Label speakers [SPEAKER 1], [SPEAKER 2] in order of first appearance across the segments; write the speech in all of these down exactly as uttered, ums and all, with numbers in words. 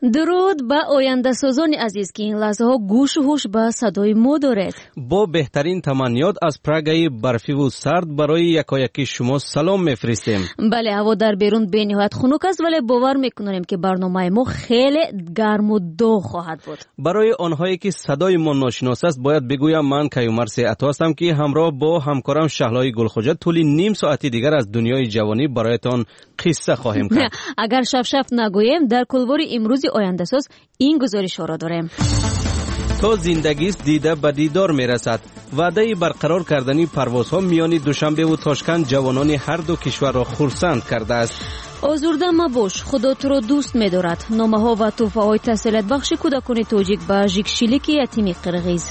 [SPEAKER 1] Дуруд ба ояндасозони азиз, ки ин лаҳзаҳо гӯшу ҳуш ба садои мо доред.
[SPEAKER 2] Бо беҳтарин таманниёт аз Прагаи барфиву сард барои якояки шумо салом мефиристем.
[SPEAKER 1] Бале, ҳаво дар берун бениҳоят хунук аст, вале бовар мекунем, ки барномаи мо хеле гарму доғ хоҳад буд.
[SPEAKER 2] Барои онҳое ки садои мо ношинос аст, бояд бигӯям, ман Каюмарс Ато ҳастам, ки ҳамроҳ бо ҳамкорам Шаҳлои Гулхоҷа тӯли ним соати дигар аз дунёи ҷавонӣ бароятон қисса хоҳем кард.
[SPEAKER 1] Агар шафшаф нагӯем, дар кулвори имрӯзи ояндасоз ин гузоришҳоро дорем.
[SPEAKER 2] То зиндагист, дида ба дидор мерасад. Ваъдаи барқарор кардани парвозҳо миёни Душанбеву Тошканд ҷавонони ҳар ду кишварро хурсанд кардааст.
[SPEAKER 1] Озурда мабош, Худо туро дӯст медорад. Номаҳо ва тӯҳфаҳои тасаллиятбахши кӯдакони тоҷик ба Жикшилики ятими қирғиз.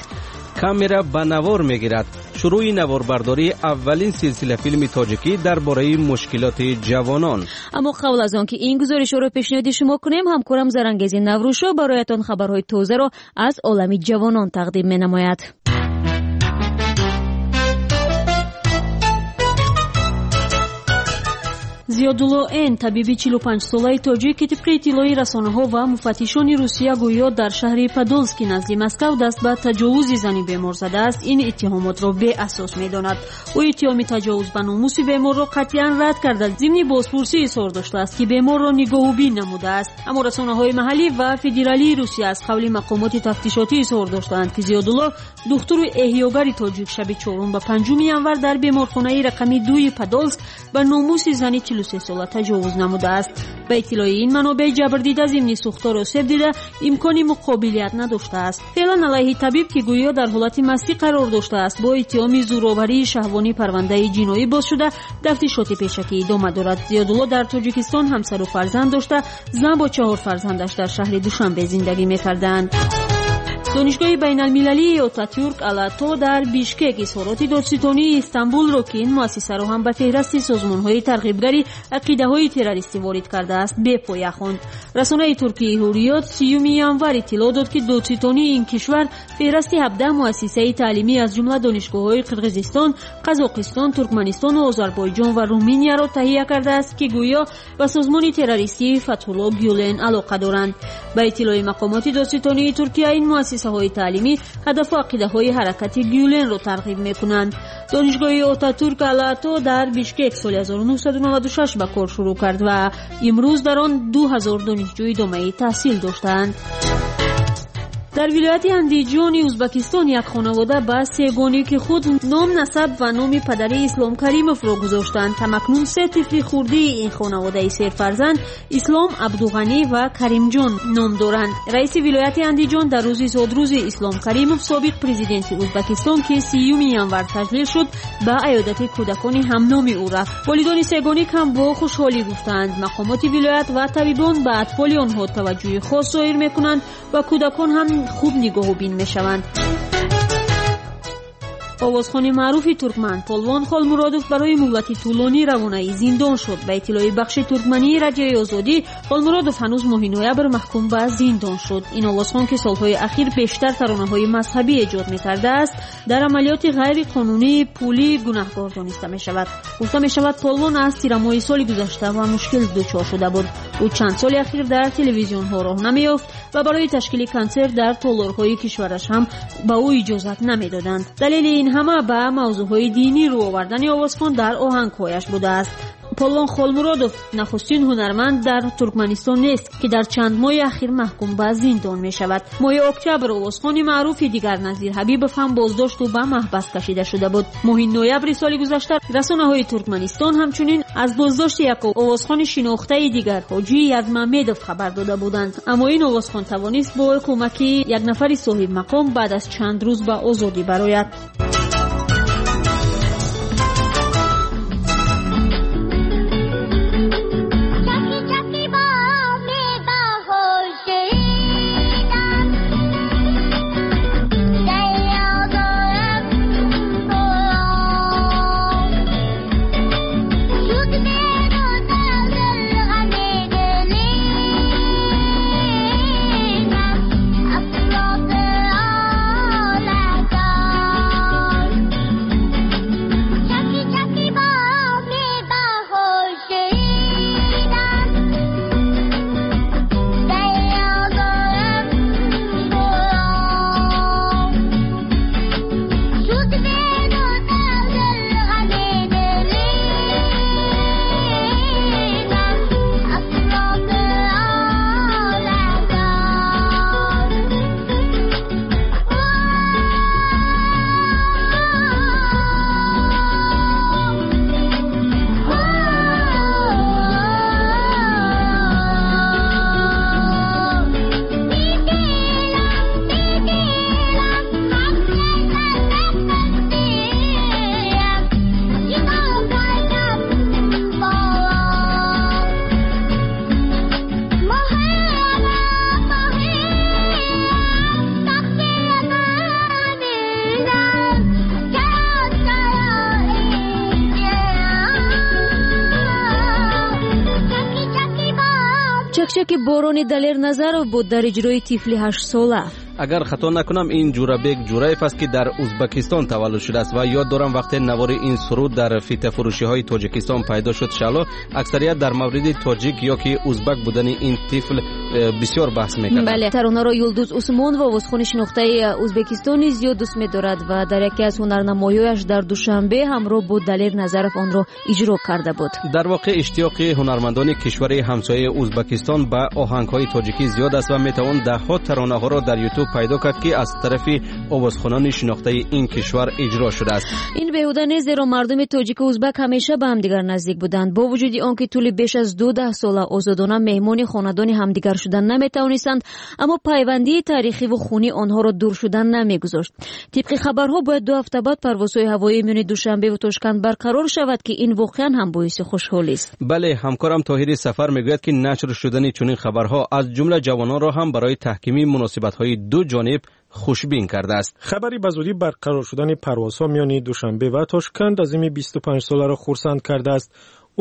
[SPEAKER 2] Камера ба навор мегирад. Шурӯи наворбардории аввалин силсила филми тоҷикӣ дар бораи мушкилоти ҷавонон.
[SPEAKER 1] Аммо қабл аз он ки ин гузоришҳоро пешниҳоди шумо кунем, ҳамкорам Зарангези Наврӯзшо бароятон хабарҳои тозаро аз олами ҷавонон тақдим менамояд.
[SPEAKER 3] Зиёдулло Н, табиби чилу панҷсолаи тоҷик, ки тибқи иттилои расонаҳо ва муфаттишони Русия гӯё дар шаҳри Подолски назди Москав даст ба таҷовузи зани бемор задааст, ин иттиҳомотро беасос медонад. Ӯ иттиҳоми таҷовуз ба номуси беморро қатъиян рад карда, зимни бозпурсӣ изҳор доштааст, ки беморро нигоҳубин намудааст. Аммо расонаҳои маҳаллӣ ва федералии Русия аз қавли мақомоти тафтишотӣ изҳор доштаанд, ки Зиёдулло, духтуру эҳёгари тоҷик, шаби чорум ба панҷуми январ дар беморхонаи рақами дуи Подолск ба номуси зани чилу се сола таҷовуз намудааст. Ба иттилои ин манобеъ, ҷабрдида зимни сӯхтор осеб дида, имкони муқобилият надоштааст. Феълан алайҳи табиб, ки гӯё дар ҳолати мастӣ қарор доштааст, бо иттиҳоми зӯроварии шаҳвонӣ парвандаи ҷиноӣ боз шуда, тафтишоти пешакӣ идома дорад. Зиёдулло дар Тоҷикистон ҳамсару фарзанд дошта, зан бо чаҳор фарзандаш дар шаҳри Душанбе зиндагӣ мекарданд. Донишгоҳи байналмилалии Отатюрк Алато дар Бишкек изҳороти додситонии Истанбулро, ки ин муассисаро ҳам ба феҳрасти созмонҳои тарғибгари ақидаҳои террористӣ ворид кардааст, бепоя хонд. Расонаи туркии Ҳурриёт сиюми январ иттилоъ дод, ки додситонии ин кишвар феҳрасти ҳабдаҳ муассисаи таълимӣ аз ҷумла донишгоҳҳои Қирғизистон, Қазоқистон, Туркманистону Озарбойҷон ва Руминияро таҳия кардааст, ки гӯё ба созмони террористии Фатҳулло Гюлен алоқа доранд. Ба иттилои мақомоти додситонии Туркия, ин муассисаҳои таълимӣ ҳадафу ақидаҳои ҳаракати Гюленро тарғиб мекунанд. Донишгоҳи Отатюрк Алато дар Бишкек соли ҳазору нӯҳсаду наваду шаш ба кор шурӯъ кард ва имрӯз дар он ду ҳазор донишҷӯ идомаи таҳсил доштаанд. Дар вилояти Андиҷони Узбакистон як хонавода ба сегонӣ, ки худ ном, насаб ва номи падари Ислом Каримовро гузоштанд, ҳамакнун се тифли хурдии ин хонаводаи серфарзанд Ислом, Абдуғанӣ ва Каримҷон ном доранд. Раиси вилояти Андиҷон дар рӯзи зодрӯзи Ислом Каримов, собиқ президенти Узбакистон, ки сиюми январ таҷлил шуд, ба аёдати кӯдакони ҳамноми ӯ рафт. Волидони сегоник ҳам бо хушҳолӣ гуфтаанд, мақомоти вилоят ва табибон ба атфоли онҳо таваҷҷӯҳи хос зоҳир мекунанд ва кӯдакон ҳам хуб нигоҳубин мешаванд. Овозхони маъруфи туркман Полвон Холмуродов барои муҳлати тӯлонӣ равонаи зиндон шуд. Ба иттилои бахши туркмании Радиои Озодӣ, Холмуродов ҳанӯз моҳи ноябр маҳкум ба зиндон шуд. Ин овозхон, ки солҳои ахир бештар таронаҳои мазҳабӣ эҷод мекардааст, дар амалиёти ғайриқонунии пулӣ гунаҳкор дониста мешавад. Гуфта мешавад, Полвон аз тирамоҳи соли гузашта ва мушкил дучор шуда буд. Ӯ чанд соли ахир дар телевизионҳо роҳ намеёфт ва барои ташкили консерт дар толорҳои кишвараш ҳам ба ӯ иҷозат намедоданд. Далели ин ҳама ба мавзӯъҳои динӣ рӯ овардани овозхон дар оҳангҳояш будааст. Полвон Холмуродов нахустин ҳунарманд дар Туркманистон нест, ки дар чанд моҳи ахир маҳкум ба зиндон мешавад. Моҳи октябр овозхони маъруфи дигар Назир Ҳабибов ҳам боздошту ба маҳбас кашида шуда буд. Моҳи ноябри соли гузашта расонаҳои Туркманистон ҳамчунин аз боздошти як овозхони шинохтаи дигар, Ҳоҷи Язмамедов, хабар дода буданд. Аммо ин овозхон тавонист бо кӯмаки як нафари соҳибмақом баъд аз чанд рӯз ба озодӣ барояд.
[SPEAKER 1] Иштироки борони Далер Назаров буд дар иҷрои тифли ҳаштсола.
[SPEAKER 2] Агар хато накунам, ин Ҷурабек Ҷураев аст, ки дар Узбакистон таваллуд шудааст ва ёд дорам, вақте навори ин суруд дар фитафурӯшиҳои Тоҷикистон пайдо шуд, Шаҳло, аксарият дар мавриди тоҷик ё ки узбак будани ин тифл э, бисёр баҳс мекарданд.
[SPEAKER 1] Бале, таронаро Юлдуз Усмонова, овозхони шинохтаи Узбекистони, зиёд дӯст медорад ва дар яке аз ҳунарнамоиҳояш дар Душанбе ҳамроҳ бо Далер Назаров онро иҷро карда буд.
[SPEAKER 2] Дар воқеъ, иштиёқи ҳунармандони кишвари ҳамсояи Узбакистон ба оҳангҳои тоҷикӣ зиёд аст ва метавон даҳҳо таронаҳоро дар Ютуб пайдо кард, ки аз тарафи овозхонони шинохтаи ин кишвар иҷро шудааст.
[SPEAKER 1] Ин беҳуда нест, зеро мардуми тоҷику узбак ҳамеша ба ҳамдигар наздик буданд. Бо вуҷуди он ки тӯли беш аз ду даҳсола озодона меҳмони хонадони ҳамдигар шудан наметавонистанд, аммо пайвандии таърихиву хунӣ онҳоро дур шудан намегузошт. Тибқи хабарҳо, бояд ду ҳафта баъд парвозҳои ҳавоии миёни Душанбеву Тошканд барқарор шавад, ки ин воқеан ҳам боиси хушҳолист.
[SPEAKER 2] Бале, ҳамкорам Тоҳири Сафар мегӯяд, ки нашр шудани чунин хабарҳо аз ҷумла ҷавононро ҳам барои таҳкими муносибатҳои ду ҷониб хушбин кардааст.
[SPEAKER 4] Хабари ба зудӣ барқарор шудани парвозҳо миёни Душанбе ва Тошканд Азими бисту панҷ соларо хурсанд кардааст.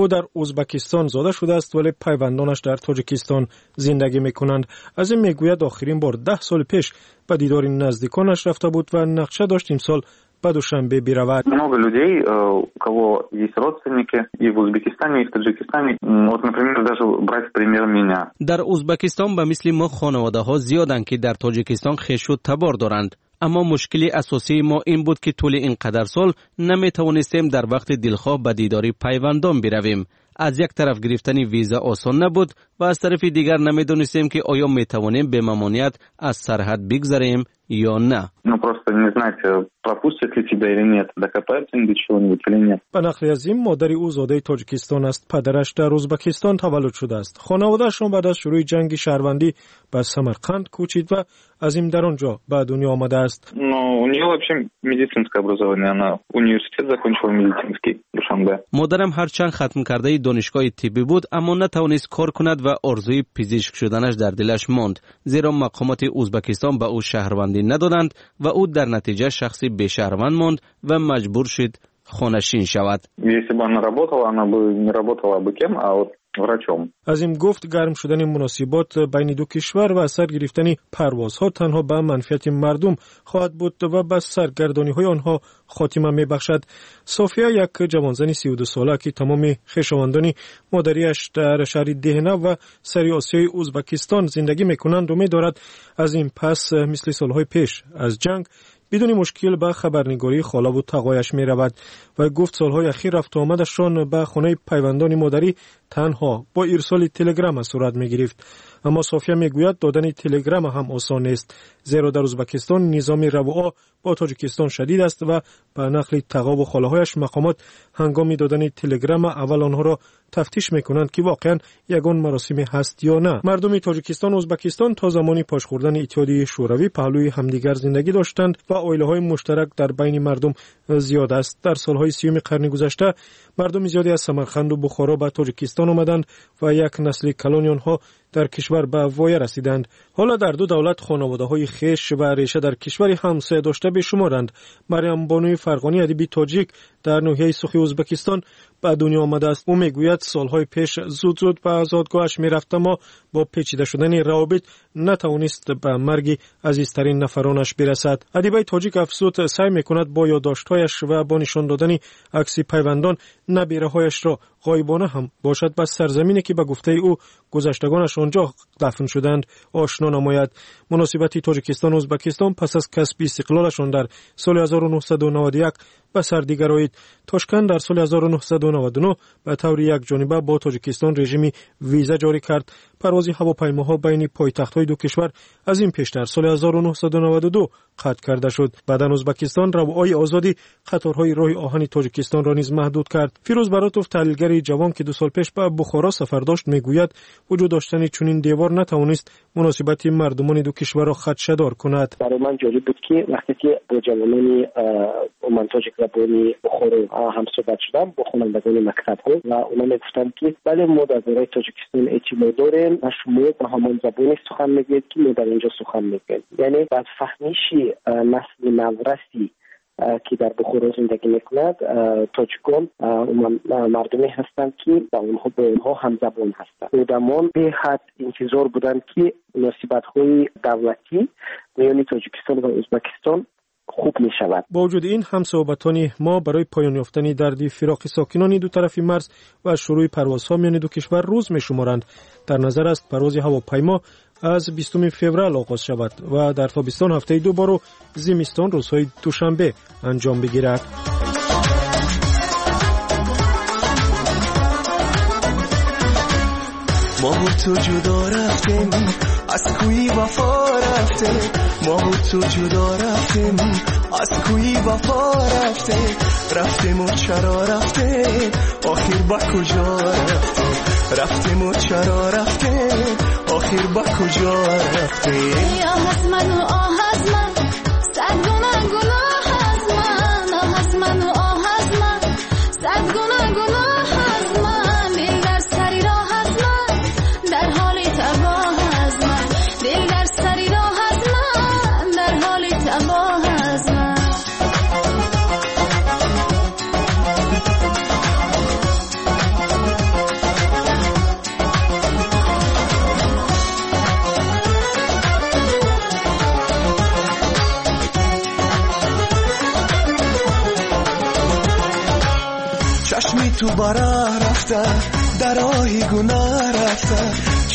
[SPEAKER 4] Ӯ дар Узбакистон зода шудааст, вале пайвандонаш дар Тоҷикистон зиндагӣ мекунанд. Азим мегӯяд, охирин бор даҳ соли пеш ба дидори наздиконаш рафта буд ва нақша дошт имсол ба Душанбе биравад.
[SPEAKER 5] Много людей, э, у кого есть родственники и в Узбекистане, и в Таджикистане. Вот, например, даже брать пример меня.
[SPEAKER 2] Дар Узбакистон ба мисли мо хонаводаҳо зиёданд, ки дар Тоҷикистон хешу табор доранд, аммо мушкили асосии мо ин буд, ки тӯли ин қадар сол наметавонистем дар вақти дилхоҳ ба дидори пайвандон биравем. Аз як тараф гирифтани виза осон набуд ва аз тарафи дигар намедонистем, ки оё метавонем бемамоният аз сарҳад бигзарем ё на.
[SPEAKER 5] Ну, просто не знать, пропустят ли тебя или нет, докопаются они до чего-нибудь или нет.
[SPEAKER 4] Ба нақли Азим, модари ӯ зодаи Тоҷикистон аст, падараш дар Узбакистон таваллуд шудааст. Хонаводаашон баъд аз шурӯи ҷанги шаҳрвандӣ ба Самарқанд кӯчид ва Азим дар он ҷо ба дунё омадааст.
[SPEAKER 5] Но у нее вообще медицинское образование, она университет закончила медицинский в Душанбе.
[SPEAKER 2] Модарам ҳарчанд хатмкардаи донишгоҳи тиббӣ буд, аммо натавонист кор кунад ва орзуи пизишк шуданаш дар дилаш монд, зеро мақомоти Узбакистон ба ӯ шаҳрвандӣ надоданд ва ӯ дар натиҷа шахси бешаҳрванд монд ва маҷбур шуд хонашин шавад.
[SPEAKER 5] Если бы она работала, она бы не работала абы кем, а вот врачом.
[SPEAKER 4] Азим гуфт, гарм шудани муносибот байни ду кишвар ва сар гирифтани парвозҳо танҳо ба манфиати мардум хоҳад буд ва ба саргардониҳои онҳо хотима мебахшад. София, як ҷавонзани сию дусола, ки тамоми хешовандони модариаш дар шаҳри Деҳнав ва сари Осиёи Узбакистон зиндагӣ мекунанд, умед дорад, аз ин пас мисли солҳои пеш аз ҷанг бидуни мушкил ба хабарнигории холаву тағояш меравад ва гуфт, солҳои ахир рафтуомадашон ба хонаи пайвандони модарӣ танҳо бо ирсоли телеграмма сурат мегирифт. Аммо София мегӯяд, додани телеграмма ҳам осон нест, зеро дар Узбакистон низоми равуо бо Тоҷикистон шадид аст ва ба нақли тағову холаҳояш, мақомот ҳангоми додани телеграмма аввал онҳоро тафтиш мекунанд, ки воқеан ягон маросиме ҳаст ё на. Мардуми Тоҷикистону Узбакистон то замони пош хӯрдани Иттиҳоди Шӯравӣ паҳлӯи ҳамдигар зиндагӣ доштанд ва оилаҳои муштарак дар байни мардум зиёд аст. Дар солҳои сиюми қарни гузашта мардуми зиёде аз Самарқанду Бухоро ба Тоҷикистон омаданд ва як насли калони онҳо дар кишвар ба воя расиданд. Ҳоло дар ду давлат хонаводаҳои хеш ва реша дар кишвари ҳамсоя дошта бешуморанд. Марьямбонуи Фарғонӣ, адиби тоҷик, дар ноҳияи Сухи Узбакистон ба дунё омадааст. Ӯ мегӯяд, солҳои пеш зуд зуд ба зодгоҳаш мерафт, аммо бо печида шудани равобит натавонист ба марги азизтарин нафаронаш бирасад. Адибаи тоҷик афзуд, саъй мекунад бо ёддоштҳояш ва бо нишон додани акси пайвандон набираҳояшро ғоибона ҳам бошад ба сарзамине, ки ба гуфтаи ӯ гузаштагонаш он ҷо дафн шуданд, ошно намояд. Муносибати Тоҷикистону Узбакистон пас аз касби истиқлолашон дар соли ҳазору нӯҳсаду наваду як ба сардӣ гароид. Тошканд дар соли ҳазору нӯҳсаду наваду нӯҳ ба таври якҷониба бо Тоҷикистон режими виза ҷорӣ кард. Парвози ҳавопаймоҳо байни пойтахтҳои ду кишвар аз ин пеш дар соли ҳазору нӯҳсаду наваду ду қатъ карда шуд. Баъдан Узбакистон равои озоди қаторҳои роҳи оҳани Тоҷикистонро низ маҳдуд кард. Фирӯз Баротов, таҳлилгари ҷавон, ки ду сол пеш ба Бухоро сафар дошт, мегӯяд, вуҷуд доштани чунин девор натавонист муносибати мардумони ду кишварро хадшадор кунад.
[SPEAKER 6] Барои ман ҷолиб буд, ки вақте ки бо ҷавонони умуман тоҷикзабони Бухоро ҳамсӯҳбат шудам, бо хонандагони мактабҳо, ва онҳо мегуфтанд, ки бале, мо дар бораи Тоҷикистон эътимод дорем ва шумо ба ҳамон забоне сухан мегӯед, ки мо дар инҷо сухан мегӯем. Яъне ба фаҳмиши насли навраси ки дар Бухоро зиндагӣ мекунад, тоҷикон мардуме ҳастанд, ки ба онҳо бо онҳо ҳамзабон ҳастанд. Одамон беҳад интизор буданд, ки муносибатҳои давлатӣ миёни Тоҷикистон ва Ӯзбекистон хуб мешавад.
[SPEAKER 4] Бо вуҷуди ин, ҳамсӯҳбатони мо барои поён ёфтани дарди фироқи сокинони ду тарафи марз ва шурӯи парвозҳо миёни ду кишвар рӯз мешуморанд. Дар назар аст парвози ҳавопаймо аз бистуми феврал оғоз шавад ва дар тобистон ҳафтаи ду бору зимистон рӯзҳои душанбе анҷом бигирад.
[SPEAKER 7] Мо ту ҷудо рафтем, аз кӯи вафо рафтем. Мо ту ҷудо рафтем, аз кӯи вафо рафтем. Рафтем ва чаро рафтем, охир ба куҷо рафтем? Рафтем ва чаро рафтем, охир ба куҷо рафтем?
[SPEAKER 8] Оҳ аз ман ва оҳ аз ман, сад гуна гуноҳ аз ман. Оҳ аз ман ва оҳ аз ман, сад гуна гуноҳ аз ман. Дил дар сари роҳ аз ман, дар ҳоли табоҳ аз ман. Дил дар сари роҳ аз ман, дар ҳоли табоҳ аз ман.
[SPEAKER 7] Чашми ту бара рафта, дар роҳи гуноҳ рафта.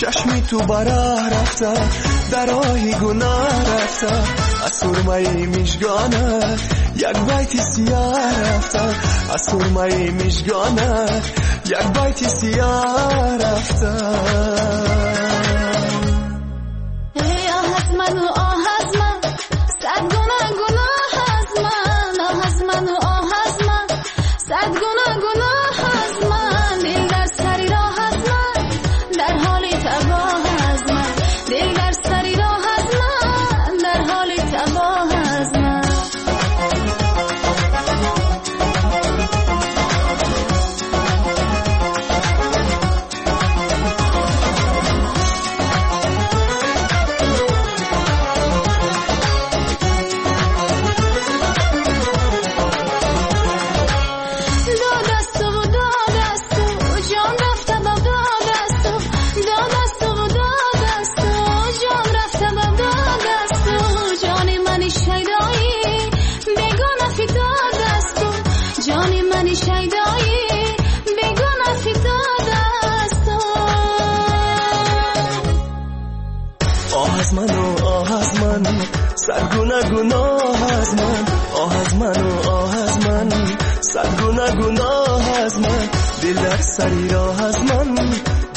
[SPEAKER 7] Чашми ту бара рафта, дар роҳи гуноҳ рафта. Аз сурмаи мижгонат як байти сиёҳ рафта. Аз сурмаи мижгонат як байти сиёҳ рафта.
[SPEAKER 8] Эй оҳ аз ман ва оҳ аз ман, сад гуна гуноҳ аз ман. Оҳ аз ман ва оҳ аз ман, сад гуна гуноҳ аз ман. Дил дар сари роҳ аз ман, дар ҳоли табоҳ аз ман. Дил дар сари роҳ аз ман, дар ҳоли табоҳ аз ман.
[SPEAKER 7] Сад гуна гуноҳ аз ман, оҳ аз ман ва оҳ аз ман, сад гуна гуноҳ аз ман. Дил дар сари роҳ аз ман,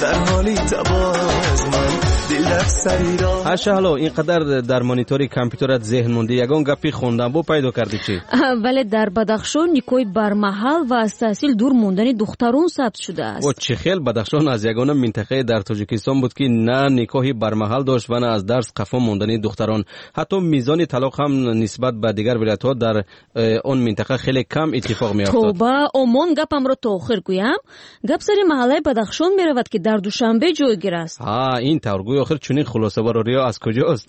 [SPEAKER 7] дар ҳоли табоҳ аз ман. Дил дар сари роҳ.
[SPEAKER 2] Ҳашаҳло, ин қадар дар монитори компютерат зеҳн мондӣ, ягон гапи хонданбо пайдо кардӣ чӣ?
[SPEAKER 1] Вале дар Бадахшон никоҳи бармаҳал ва аз таҳсил дур мондани духтарон сабт шудааст.
[SPEAKER 2] О, чӣ хел? Бадахшон аз ягона минтақае дар Тоҷикистон буд, ки на никоҳи бармаҳал дошт ва на аз дарс қафо мондани духтарон. Ҳатто мизони талоқ ҳам нисбат ба дигар вилоятҳо дар он минтақа хеле кам иттифоқ меафтод.
[SPEAKER 1] Тоба, омон гапамро то охир гӯям. Гап сари маҳаллаи Бадахшон меравад, ки дар Душанбе ҷойгир аст.
[SPEAKER 2] Ҳа, ин тавр гӯй, охир чунин хулосабарорӣ аз куҷост?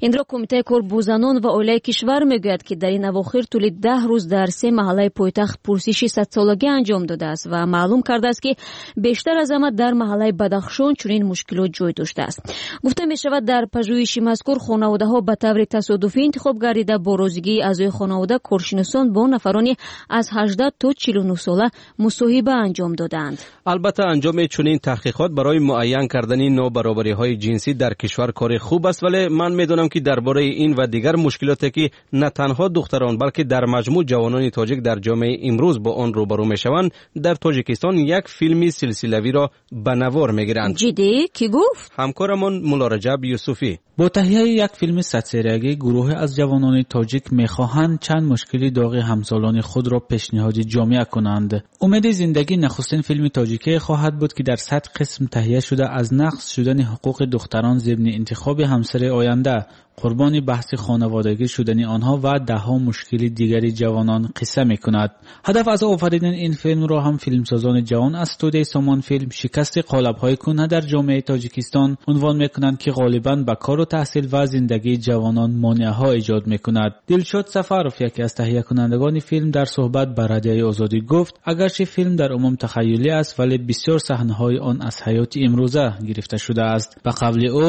[SPEAKER 1] Инро Кумитаи кор бо занон ва оилаи кишвар мегӯяд, ки дар ин авохир тӯли даҳ рӯз дар се маҳаллаи пойтахт пурсиши садсолагӣ анҷом додааст ва маълум кардааст, ки бештар аз ҳама дар маҳаллаи Бадахшон чунин мушкилот ҷой доштааст. Гуфта мешавад, дар пажӯҳиши мазкур хонаводаҳо ба таври тасодуфӣ интихоб гардида, бо розигии аъзои хонавода коршиносон бо нафарони аз ҳаждаҳ то чилу нӯҳ сола мусоҳиба анҷом додаанд.
[SPEAKER 2] Албатта, анҷоми чунин таҳқиқот барои муайян кардани нобаробариҳои ҷинсӣ дар кишвар кори хуб аст, вале ман медонам, ки дар бораи ин ва дигар мушкилоте, ки на танҳо духтарон, балки дар маҷмӯъ ҷавонони тоҷик дар ҷомеаи имрӯз бо он рӯбарӯ мешаванд, дар Тоҷикистон як филми силсилавиро ба навор мегиранд.
[SPEAKER 1] Ҷиддӣ? Кӣ гуфт?
[SPEAKER 2] Ҳамкорамон Муллораҷаб Юсуфӣ.
[SPEAKER 9] Бо таҳияи як филми садсериягӣ гурӯҳе аз ҷавонони тоҷик мехоҳанд чанд мушкили доғи ҳамсолони худро пешниҳоди ҷомеа кунанд. Умеди зиндагӣ нахустин филми тоҷикие хоҳад буд, ки дар сад қисм таҳия шуда аз нақз шудани ҳуқуқи духтарон зимни интихоби ҳамсари оянда, қурбони баҳси хонаводагӣ шудани онҳо ва даҳҳо мушкили дигари ҷавонон қисса мекунад. Ҳадаф аз офаридани ин филмро ҳам филмсозони ҷавон аз студияи Сомон филм шикасти қолабҳои кӯҳна дар ҷомеаи Тоҷикистон унвон мекунанд, ки ғолибан ба кору таҳсил ва зиндагии ҷавонон монеаҳо эҷод мекунад. Дилшод Сафаров, яке аз таҳиякунандагони филм, дар суҳбат ба Радиои Озодӣ гуфт, агарчи филм дар умум тахайюлӣ аст, вале бисёр саҳнаҳои он аз ҳаёти имрӯза гирифта шудааст. Ба қавли ӯ,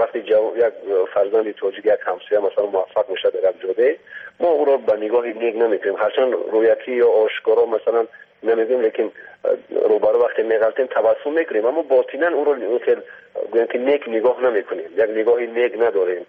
[SPEAKER 10] вақте як фарзанди тоҷик, як ҳамсоя масалан муваффақ мешавад дар як ҷода, мо ӯро ба нигоҳи нек намекунем, ҳарчанд рӯякӣ ё ошкоро масалан намегӯем, лекин рӯбарӯ вақте меғалтем табассум мекунем, аммо ботинан ӯро гӯем ки нек нигоҳ намекунем, як нигоҳи нек надорем.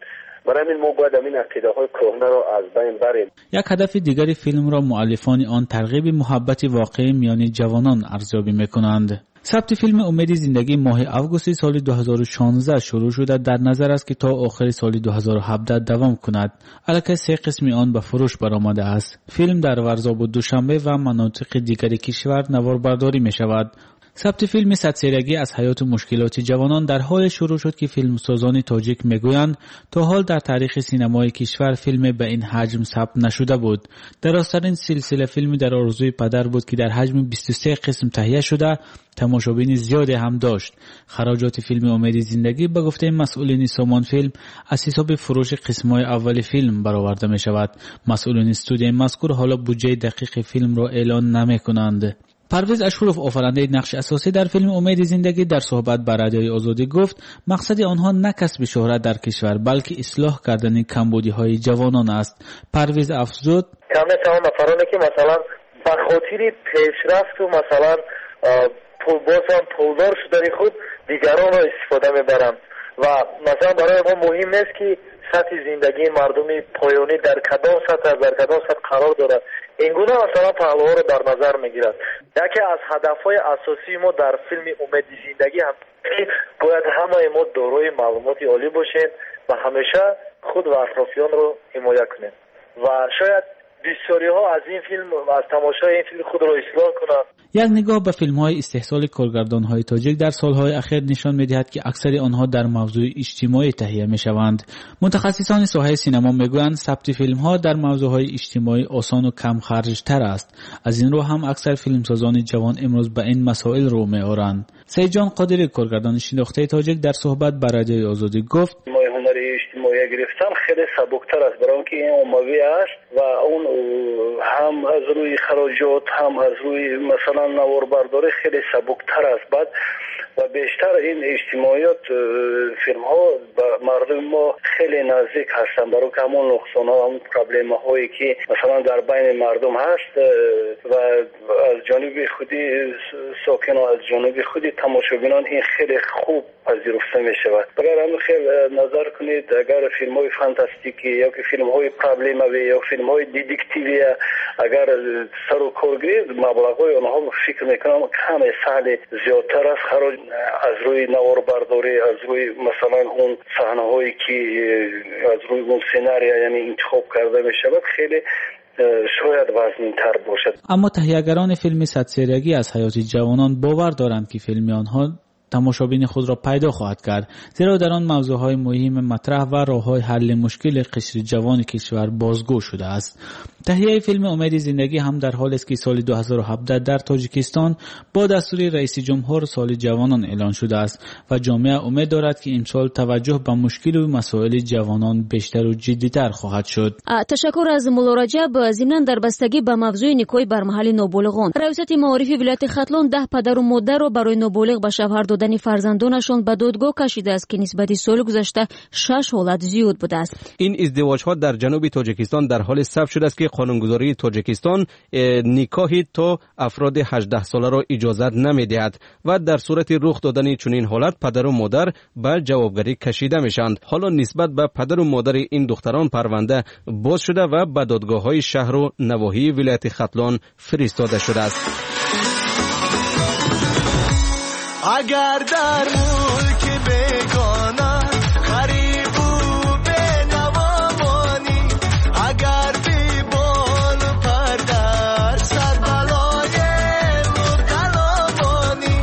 [SPEAKER 10] Барои ҳамин мо бояд ҳамин ақидаҳои кӯҳнаро аз байн барем.
[SPEAKER 9] Як ҳадафи дигари филмро муаллифони он тарғиби муҳаббати воқеӣ миёни ҷавонон арзёбӣ мекунанд. Сабти филми Умеди зиндагӣ моҳи августи соли ду ҳазору шонздаҳ шурӯъ шуда, дар назар аст ки то охири соли ду ҳазору ҳабдаҳ давом кунад. Аллакай се қисми он ба фурӯш баромадааст. Филм дар Варзобу Душанбе ва манотиқи дигари кишвар наворбардорӣ мешавад. Сабти филми садсерагӣ аз ҳаёту мушкилоти ҷавонон дар ҳоле шурӯъ шуд, ки филмсозони тоҷик мегӯянд, то ҳол дар таърихи синамои кишвар филме ба ин ҳаҷм сабт нашуда буд. Дарозтарин силсила филми дар орзуи падар буд, ки дар ҳаҷми бисту се қисм таҳия шуда, тамошобини зиёде ҳам дошт. Хароҷоти филми Умеди зиндагӣ ба гуфтаи масъулини Сомонфилм аз ҳисоби фурӯши қисмҳои аввали филм бароварда мешавад. Масъулини студияи мазкур ҳоло буҷаи дақиқи филмро эълон намекунанд. Парвиз Ашуров, офарандаи нақши асосӣ дар филми Умеди зиндагӣ, дар суҳбат ба Радиои Озодӣ гуфт, мақсади онҳо на касби шӯҳрат дар кишвар, балки ислоҳ кардани камбудиҳои ҷавонон аст. Парвиз афзуд,
[SPEAKER 11] кам мешаванд нафароне ки масалан ба хотири пешрафту масалан боз ҳам пулдор шудани худ дигаронро истифода мебаранд ва масалан барои мо муҳим нест ки сатҳи зиндагии мардуми поёнӣ дар кадом сатҳ аст, дар кадом сатҳ қарор дорад. Ин гуна масалан паҳлӯҳоро дар назар мегирад. Яке аз ҳадафҳои асосии мо дар филми Умеди зиндагӣ ҳам ки бояд ҳамаи мо дорои маълумоти олӣ бошем ва ҳамеша худ ва атрофиёнро ҳимоя кунем ва шояд бисёриҳо аз ин филм, аз тамошои ин филм худро ислоҳ кунанд.
[SPEAKER 9] Як нигоҳ ба филмҳои истеҳсоли коргардонҳои тоҷик дар солҳои ахир нишон медиҳад, ки аксари онҳо дар мавзӯи иҷтимоӣ таҳия мешаванд. Мутахассисони соҳаи синамо мегӯянд, сабти филмҳо дар мавзӯъҳои иҷтимоӣ осону камхарҷтар аст. Аз ин рӯ ҳам аксар филмсозони ҷавон имрӯз ба ин масоил рӯ меоранд. Сайидҷон Қодирӣ, коргардони шинохтаи тоҷик, дар суҳбат ба Радиои Озодӣ гуфт,
[SPEAKER 11] ҳунари иҷтимоӣ гирифтан хеле сабуктар аст, барои инки ин оммавӣ аст ва он ҳам аз рӯи хароҷот, ҳам аз рӯи масалан наворбардорӣ хеле сабуктар аст. Баъд ва бештар ин иҷтимоиёт филмҳо ба мардуми мо хеле наздик ҳастанд, барои инки ҳамон нуқсонҳо, ҳамон проблемаҳое ки масалан дар байни мардум ҳаст ва аз ҷониби худи сокинон, аз ҷониби худи тамошобинон ин хеле хуб пазируфта мешавад. Агар ҳамин хел назар кунед, агар филмҳои фантастикӣ ё ки филмҳои проблемавӣ ё филмҳои детективӣ агар сару кор гиред, маблағҳои онҳо фикр мекунам каме саҳли зиёдтар аст. Хароҷ аз рӯи наворбардорӣ, аз рӯи масалан он саҳнаҳое ки аз рӯи он сценария яъне интихоб карда мешавад, хеле шояд вазнинтар бошад.
[SPEAKER 9] Аммо таҳиягарони филми садсерагӣ аз ҳаёти ҷавонон бовар доранд, ки филми онҳо тамошобини худро пайдо хоҳад кард, зеро дар он мавзӯъҳои муҳими матраҳ ва роҳҳои ҳалли мушкили қишри ҷавони кишвар бозгӯ шудааст. Таҳияи филми Умеди зиндагӣ ҳам дар ҳолест, ки соли ду ҳазору ҳабдаҳ дар Тоҷикистон бо дастури раиси ҷумҳур соли ҷавонон эълон шудааст ва ҷомеа умед дорад, ки имсол таваҷҷӯҳ ба мушкилу масоили ҷавонон бештару ҷиддитар хоҳад шуд.
[SPEAKER 1] Ташаккур аз Мулло Раҷаб. Зимнан дар бастагӣ ба мавзӯи никоҳи бармаҳали ноболиғон, раёсати маорифи вилояти Хатлон даҳ падару модарро барои ноболиғ ба шавҳар додани фарзандонашон ба додгоҳ кашидааст, ки нисбати соли гузашта шаш ҳолат зиёд будааст.
[SPEAKER 2] Ин издивоҷҳо дар ҷануби Тоҷикистон дар ҳоле сабт шудааст, ки қонунгузории Тоҷикистон никоҳи то афроди ҳаждаҳсоларо иҷозат намедиҳад ва дар сурати рух додани чунин ҳолат падару модар ба ҷавобгарӣ кашида мешаванд. Ҳоло нисбат ба падару модари ин духтарон парванда боз шуда ва ба додгоҳҳои шаҳру навоҳии вилояти Хатлон фиристода шудааст.
[SPEAKER 7] Агар дар мулки бегона ғарибу бенаво монӣ, агар беболу пар дар сар балои мубтало монӣ,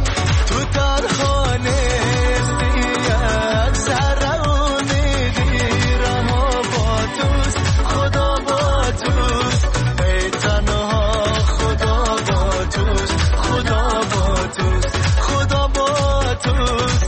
[SPEAKER 7] ту танҳо нестӣ, як зарра умеди раҳо бо туст, Худо бо туст, эй танҳо Худо бо туст, Худо бо туст, Худо бо туст.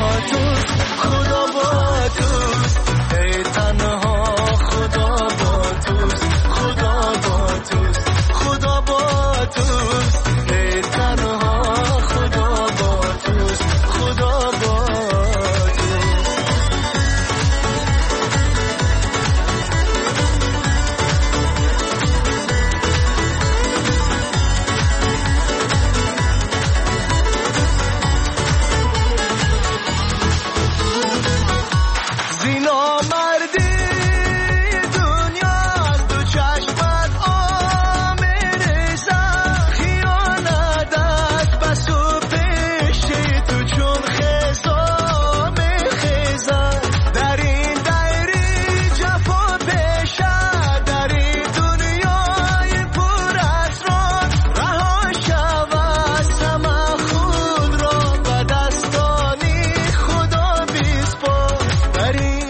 [SPEAKER 7] бо туст, Худо бо туст, эй танҳо Худо бо туст, Худо бо туст, Худо бо туст, эй танҳо Худо бо туст, Худо бо туст. Зино марди дунё аз ду чашмат омерезад, хиёнат аз пасу пеши ту чун хезо мехезад. Дар ин дайри ҷафо пеша, дар ин дунёи пур асрор, раҳо шав аз ҳама, худро ба дастони Худо биспор. Дар ин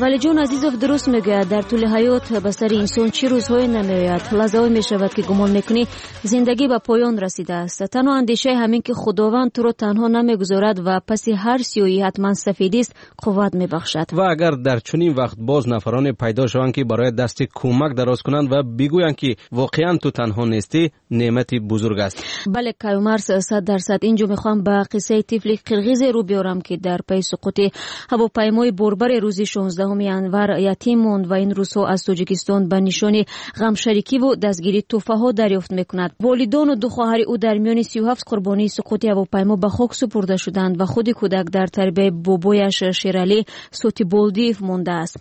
[SPEAKER 1] Валиҷон Азизов дуруст мегӯяд, дар тӯли ҳаёт ба сари инсон чӣ рӯзҳое намеояд. Лаҳзаҳое мешавад, ки гумон мекунӣ зиндагӣ ба поён расидааст. Танҳо андешаи ҳамин ки Худованд туро танҳо намегузорад ва паси ҳар сиёҳӣ ҳатман сафедист, қувват мебахшад.
[SPEAKER 2] Ва агар дар чунин вақт боз нафароне пайдо шаванд, ки барои дасти кӯмак дароз кунанд ва бигӯянд, ки воқеан ту танҳо нестӣ, неъмати бузург аст.
[SPEAKER 1] Бале, Каюмарс, сад дарсад. Инҷо мехоҳам ба қиссаи тифли қирғизе рӯ биёрам, ки дар пайи суқути ҳавопаймои борбаре рӯзи шонздаҳуми январ ятим монд ва ин рӯзҳо аз Тоҷикистон ба нишони ғамшарикиву дастгирии тӯҳфаҳо дарёфт мекунад. Волидону ду хоҳари ӯ дар миёни сию ҳафт қурбонии суқути ҳавопаймо ба хок супурда шуданд ва худи кӯдак дар тарбияи бобояш Шералӣ Сотиболдиев мондааст.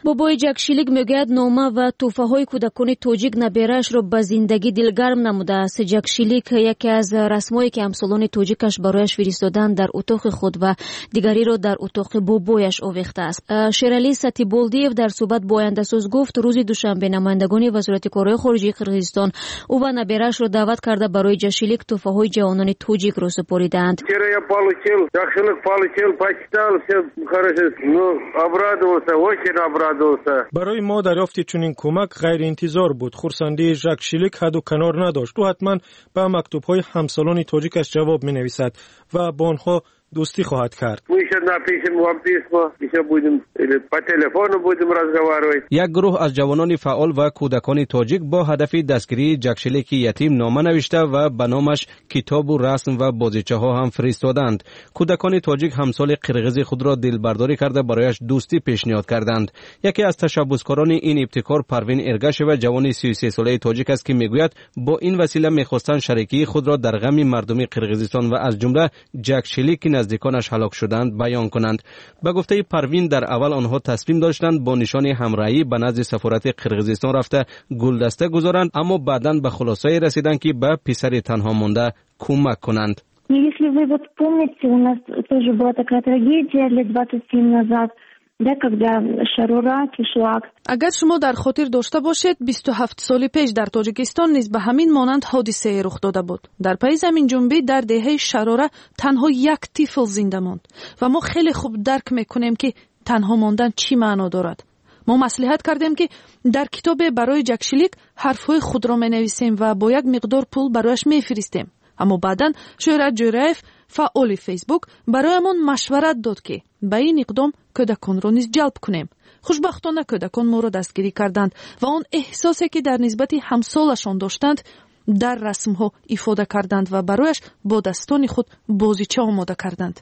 [SPEAKER 1] Бобои Ҷакшилик мегӯяд, нома ва тӯҳфаҳои кӯдакони тоҷик набераашро ба зиндагӣ дилгарм намудааст. Ҷакшилик яке аз расмҳое, ки ҳамсолони тоҷикаш барояш фиристоданд, дар утоқи худ ва дигариро дар утоқи бобояш овехтааст. Шералӣ Сатиболдиев дар суҳбат бо Ояндасоз гуфт, рӯзи душанбе намояндагони Вазорати корҳои хориҷии Қирғизистон ӯ ва набераашро даъват карда барои Ҷакшилик тӯҳфаҳои ҷавонони тоҷикро супоридаанд.
[SPEAKER 12] Вчера я получил, Жакшилик получил, почитал, все хорошо, ну, обрадовался, очень обрадовался.
[SPEAKER 4] Барои мо дарёфти чунин кӯмак ғайриинтизор буд. Хурсандии Жакшилик ҳадду канор надошт. Ӯ ҳатман ба мактубҳои ҳамсолони тоҷикаш ҷавоб менависад ва бо онҳо дӯстӣ хоҳад кард.
[SPEAKER 12] Мы еще напишем вам письмо, еще будем или по телефону будем разговаривать.
[SPEAKER 2] Як гурӯҳ аз ҷавонони фаъол ва кӯдакони тоҷик бо ҳадафи дастгирии Ҷакшилики ятим нома навишта ва ба номаш китобу расм ва бозичаҳо ҳам фиристоданд. Кӯдакони тоҷик ҳамсоли қирғизи худро дилбардорӣ карда барояш дӯстӣ пешниҳод карданд. Яке аз ташаббускорони ин ибтикор Парвин Эргашева, ҷавони сию сесолаи тоҷик аст, ки мегӯяд бо ин васила мехостанд шарикии худро дар ғами мардуми Қирғизистон ва аз ҷумла Ҷакшилик, ки наздиконаш ҳалок шуданд, баён кунанд. Ба гуфтаи Парвин, дар аввал онҳо тасмим доштанд бо нишони ҳамроҳӣ ба назди сафорати Қирғизистон рафта гулдаста гузоранд, аммо баъдан ба хулосае расиданд, ки ба писари танҳо монда кӯмак кунанд.
[SPEAKER 13] Если вы вот помните, у нас тоже была такая трагедия лет двадцать семь назад, да, когда Шарора, кишлак.
[SPEAKER 14] Агар шумо дар хотир дошта бошед, бисту ҳафт соли пеш дар Тоҷикистон низ ба ҳамин монанд ҳодисае рух дода буд. Дар пайи заминҷунбӣ дар деҳаи Шарора танҳо як тифл зинда монд ва мо хеле хуб дарк мекунем, ки танҳо мондан чӣ маъно дорад. Мо маслиҳат кардем, ки дар китобе барои Ҷакшилик ҳарфҳои худро менависем ва бо як миқдор пул барояш мефиристем. Аммо баъдан Шӯҳрат Ҷӯраев, фаъоли Фейсбук, бароямон машварат дод, ки ба ин иқдом кӯдаконро низ ҷалб кунем. Хушбахтона кӯдакон моро дастгирӣ карданд ва он эҳсосе, ки дар нисбати ҳамсолашон доштанд, дар расмҳо ифода карданд ва барояш бо дастони худ бозича омода карданд.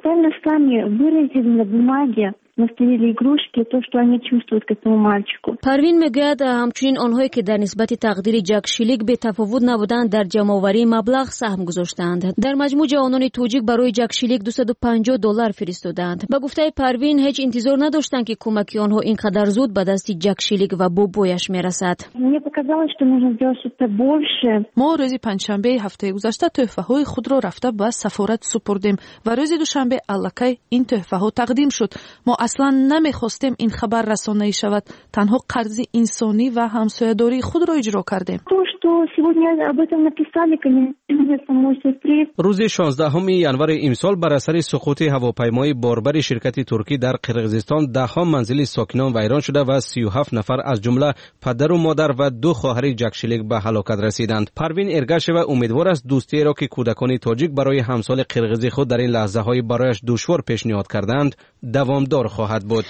[SPEAKER 13] Сами выразили на бумаге, настояли игрушки, то, что они чувствуют к этому мальчику.
[SPEAKER 1] Парвин мегӯяд, ҳамчунин онҳое, ки дар нисбати тақдири Ҷакшилик бетафовут набуданд, дар ҷамъоварии маблағ саҳм гузоштаанд. Дар маҷмӯъ ҷавонони тоҷик барои Ҷакшилик дусаду панҷоҳ доллар фиристодаанд. Ба гуфтаи Парвин, ҳеҷ интизор надоштанд, ки кӯмаки онҳо ин қадар зуд ба дасти Ҷакшилик ва бобояш мерасад.
[SPEAKER 13] Мне показалось, что нужно сделать что-то больше.
[SPEAKER 14] Мо рӯзи панҷшанбеи ҳафтаи гузашта тӯҳфаҳои худро рафта ба сафорат супурдем ва рӯзи душанбе аллакай ин тӯҳфаҳо тақдим шуд. Мо аслан намехостем ин хабар расонаӣ шавад, танҳо қарзи инсонӣ ва ҳамсоядории худро иҷро кардем.
[SPEAKER 13] То, что что сегодня об этом написали, конечно, самой сюрприз.
[SPEAKER 2] Рӯзи шонздаҳуми январи имсол бар асари суқути ҳавопаймои борбари ширкати туркӣ дар Қирғизистон даҳҳо манзили сокинон вайрон шуда ва сию ҳафт нафар аз ҷумла падару модар ва ду хоҳари Ҷакшилик ба ҳалокат расиданд. Парвин Эргашева умедвор аст дӯстиеро ки кӯдакони тоҷик барои ҳамсоли қирғизи худ дар ин лаҳзаҳои барояш душвор пешниҳод кардаанд, давомдор хоҳад буд.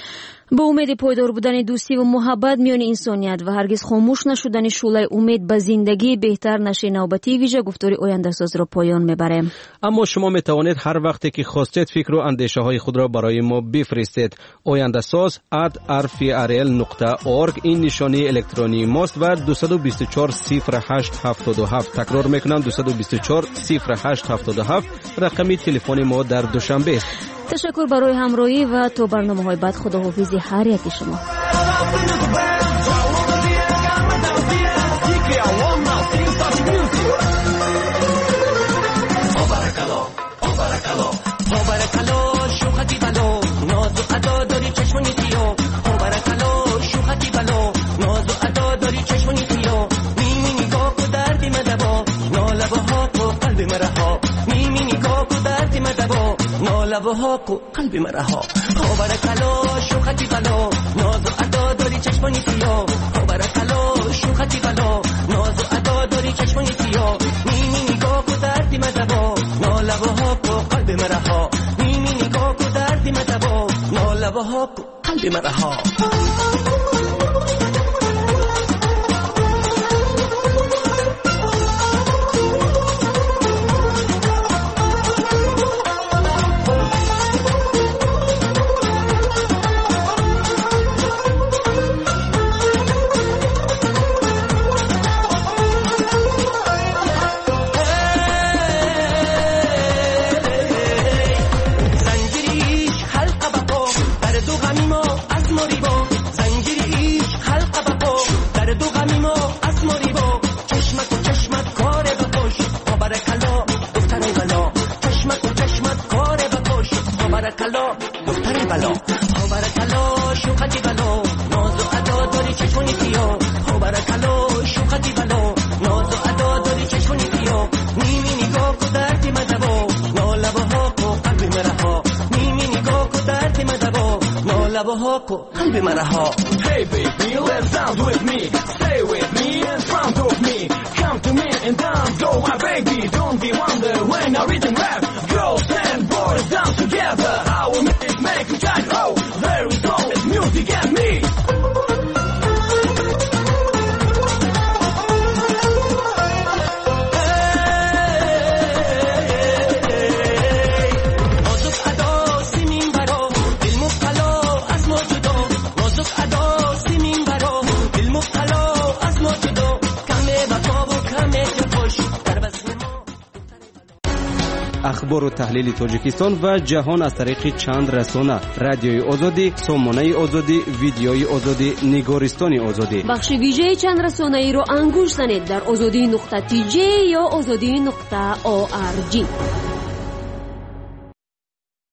[SPEAKER 1] Бо умеди пойдор будани дӯстӣ ва муҳаббат миёни инсоният ва ҳаргиз хомӯш нашудани шӯълаи умед ба зиндагии беҳтар, нашри навбатии вижа гуфтори ояндасозро поён мебарем.
[SPEAKER 2] Аммо шумо метавонед ҳар вақте ки хостед фикру андешаҳои худро барои мо бифиристед. Ояндасоз at r f r l нуқта org ин нишонии электронии мост ва дусаду бисту чор сифр ҳашт ҳафтоду ҳафт. Такрор мекунам, дусаду бисту чор сифр ҳашт ҳафтоду ҳафт рақами телефони мо дар Душанбе аст.
[SPEAKER 1] Ташаккур барои ҳамроҳӣ ва то барномаҳои баъд худоҳофизи ҳар яки шумо.
[SPEAKER 7] لبها کو قلبی مرها برکلا شوختی بلا ناز و ادا داری چشمانی سیاه برکلا شوختی بلا ناز و ادا داری چشمانی سیاه نیمی نگاه کو دردی مدوا نالبها کو قلبی مرها نیمی نگاه کو دردی مدوا نالبها کو قلبی مرها.
[SPEAKER 15] Hey baby, let's dance with me. Stay with me in front of me. Come to me and dance, go my baby. Don't be wonder when I rhythm rap. Girls and boys dance together. I will make, make you shine. Oh, there is always music and me.
[SPEAKER 2] Ахбору таҳлили Тоҷикистон ва ҷаҳон аз тариқи чанд расона: Радиои Озодӣ, Сомонаи Озодӣ, Видеои Озодӣ, Нигористони Озодӣ.
[SPEAKER 1] Бахши вижаи чанд расонаиро ангушт занед дар озодӣ нуқта тж ё озодӣ нуқта орг.